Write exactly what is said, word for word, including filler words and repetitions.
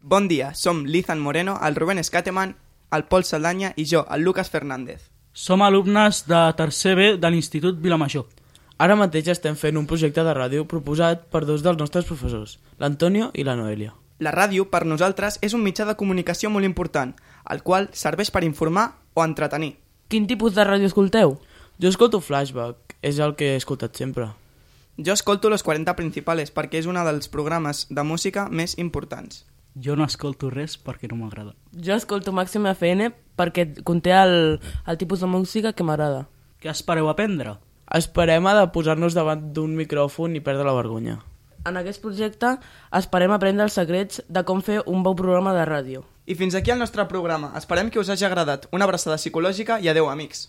Bon dia, som l'Ethan Moreno, el Rubén Escateman, el Pol Saldanya i jo, el Lucas Fernández. Som alumnes de tercer B de l'Institut Vilamajor. Ara mateix estem fent un projecte de ràdio proposat per dos dels nostres professors, l'Antonio i la Noelia. La ràdio, per nosaltres, és un mitjà de comunicació molt important, el qual serveix per informar o entretenir. Quin tipus de ràdio escolteu? Jo escolto Flashback, és el que he escoltat sempre. Jo escolto Los quaranta Principales perquè és un dels programes de música més importants. Jo no escolto res perquè no m'agrada. Jo escolto Màxim F M perquè conté el, el tipus de música que m'agrada. Què espereu aprendre? Esperem a de posar-nos davant d'un micròfon i perdre la vergonya. En aquest projecte esperem aprendre els secrets de com fer un bon programa de ràdio. I fins aquí el nostre programa. Esperem que us hagi agradat. Una abraçada psicològica i adeu, amics.